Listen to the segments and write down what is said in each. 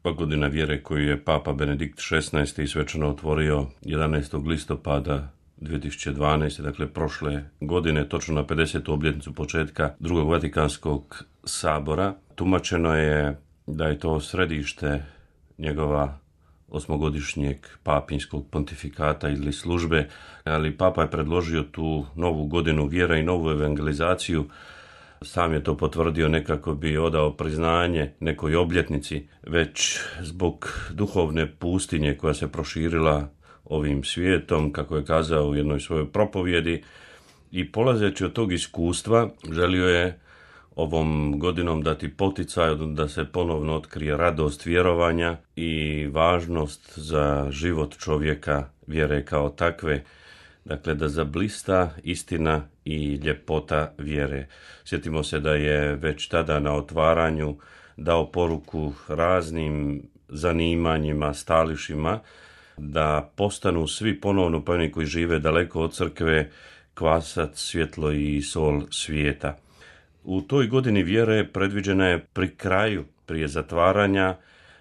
Godina vjere koju je Papa Benedikt XVI. Svečano otvorio 11. listopada 2012. Dakle prošle godine, točno na 50. obljetnicu početka Drugog Vatikanskog sabora. Tumačeno je da je to središte njegova osmogodišnjeg papinskog pontifikata ili službe, ali Papa je predložio tu novu godinu vjera i novu evangelizaciju. Sam je to potvrdio ne kako bi odao priznanje nekoj obljetnici, već zbog duhovne pustinje koja se proširila ovim svijetom, kako je kazao u jednoj svojoj propovjedi, i polazeći od tog iskustva želio je ovom godinom dati poticaj da se ponovno otkrije radost vjerovanja i važnost za život čovjeka vjere kao takve. Dakle, da zablista istina i ljepota vjere. Sjetimo se da je već tada na otvaranju dao poruku raznim zanimanjima, stališima, da postanu svi ponovno, pa oni koji žive daleko od crkve, kvasac, svjetlo i sol svijeta. U toj godini vjere predviđena je pri kraju, prije zatvaranja,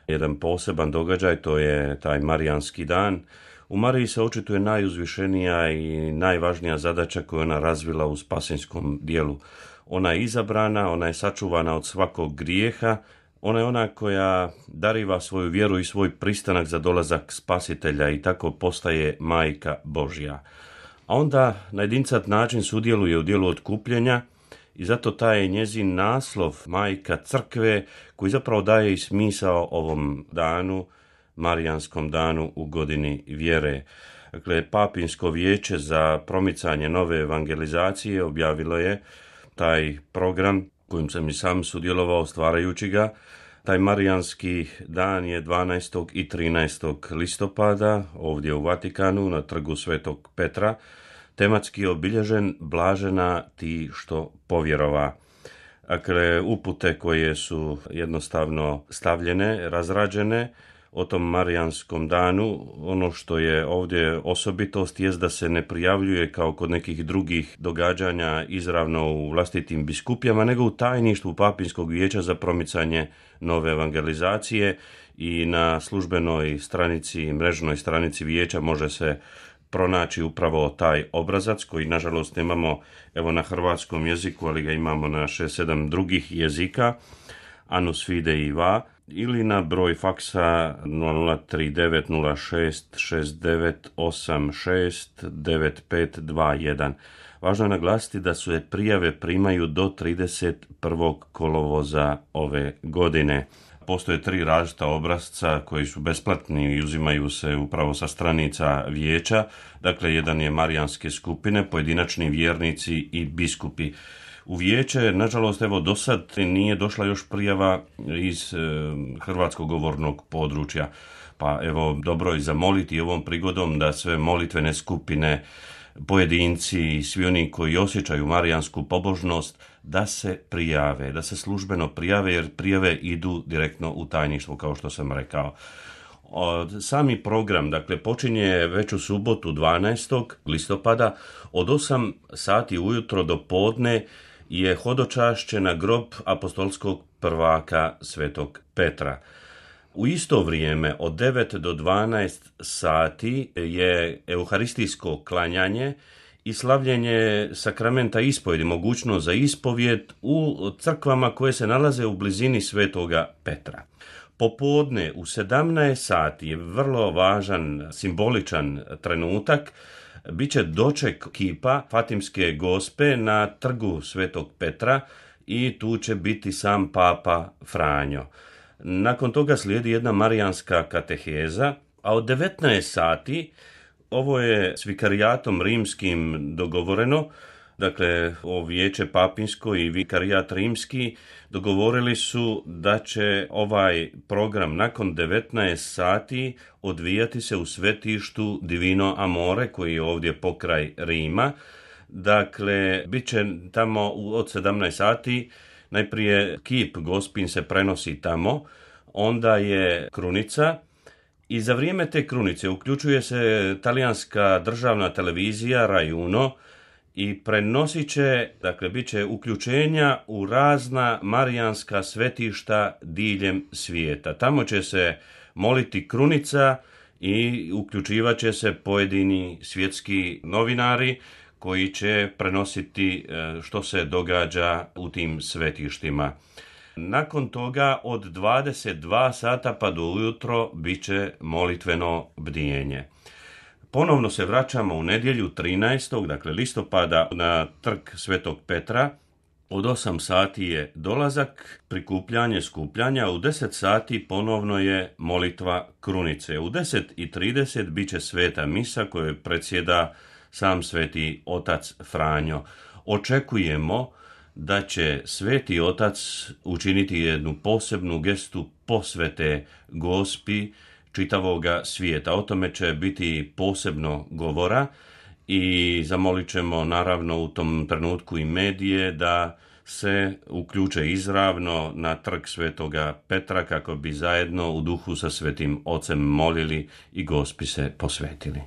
jedan poseban događaj, to je taj Marijanski dan. U Mariji se očituje najuzvišenija i najvažnija zadaća koju ona razvila u spasinskom dijelu. Ona je izabrana, ona je sačuvana od svakog grijeha, ona je ona koja dariva svoju vjeru i svoj pristanak za dolazak spasitelja i tako postaje majka Božja. A onda na jedincat način sudjeluje u dijelu otkupljenja i zato taj je njezin naslov majka crkve, koji zapravo daje i smisao ovom danu, Marijanskom danu u godini vjere. Dakle, Papinsko vijeće za promicanje nove evangelizacije objavilo je taj program kojim sam i sam sudjelovao stvarajući ga. Taj Marijanski dan je 12. i 13. listopada ovdje u Vatikanu na trgu Svetog Petra, tematski obilježen blažena ti što povjerova. Dakle, upute koje su jednostavno stavljene, razrađene o tom Marijanskom danu. Ono što je ovdje osobitost jest da se ne prijavljuje kao kod nekih drugih događanja izravno u vlastitim biskupijama, nego u tajništvu Papinskog vijeća za promicanje nove evangelizacije, i na službenoj stranici, mrežnoj stranici vijeća može se pronaći upravo taj obrazac koji nažalost nemamo evo na hrvatskom jeziku, ali ga imamo na 6-7 drugih jezika, Annus Fidei Va, ili na broj faksa 00390669869521. Važno je naglasiti da se prijave primaju do 31. kolovoza ove godine. Postoje 3 različita obrasca koji su besplatni i uzimaju se upravo sa stranica vijeća. Dakle, jedan je Marijanske skupine, pojedinačni vjernici i biskupi. U vijeće, nažalost, evo do sad nije došla još prijava iz hrvatskog govornog područja. Pa evo, dobro je zamoliti ovom prigodom da sve molitvene skupine, pojedinci i svi oni koji osjećaju marijansku pobožnost da se prijave, da se službeno prijave, jer prijave idu direktno u tajništvo, kao što sam rekao. Sami program, dakle, počinje već u subotu 12. listopada od 8 sati ujutro do podne je hodočašće na grob apostolskog prvaka Svetog Petra. U isto vrijeme od 9 do 12 sati je euharistijsko klanjanje i slavljenje sakramenta ispovjedi, mogućnost za ispovjed u crkvama koje se nalaze u blizini Svetoga Petra. Popodne u 17 sati je vrlo važan, simboličan trenutak. Biće doček kipa Fatimske Gospe na trgu Svetog Petra i tu će biti sam Papa Franjo. Nakon toga slijedi jedna marijanska kateheza, a od 19 sati, ovo je s vikarijatom rimskim dogovoreno, dakle, o vijeće papinsko i vikarijat rimski dogovorili su da će ovaj program nakon 19 sati odvijati se u svetištu Divino Amore, koji je ovdje pokraj Rima. Dakle, bit će tamo od 17 sati, najprije kip Gospin se prenosi tamo, onda je krunica i za vrijeme te krunice uključuje se talijanska državna televizija Rai Uno i prenosit će, dakle, bit će uključenja u razna marijanska svetišta diljem svijeta. Tamo će se moliti krunica i uključivat će se pojedini svjetski novinari koji će prenositi što se događa u tim svetištima. Nakon toga od 22 sata pa do ujutro bit će molitveno bdijenje. Ponovno se vraćamo u nedjelju 13. dakle listopada na trg Svetog Petra. Od 8 sati je dolazak, prikupljanje, skupljanja. U 10 sati ponovno je molitva krunice. U 10:30 bit će sveta misa koju predsjeda sam sveti otac Franjo. Očekujemo da će sveti otac učiniti jednu posebnu gestu posvete Gospi čitavoga svijeta. O tome će biti posebno govora i zamolit ćemo naravno u tom trenutku i medije da se uključe izravno na trg Svetoga Petra kako bi zajedno u duhu sa svetim ocem molili i Gospi se posvetili.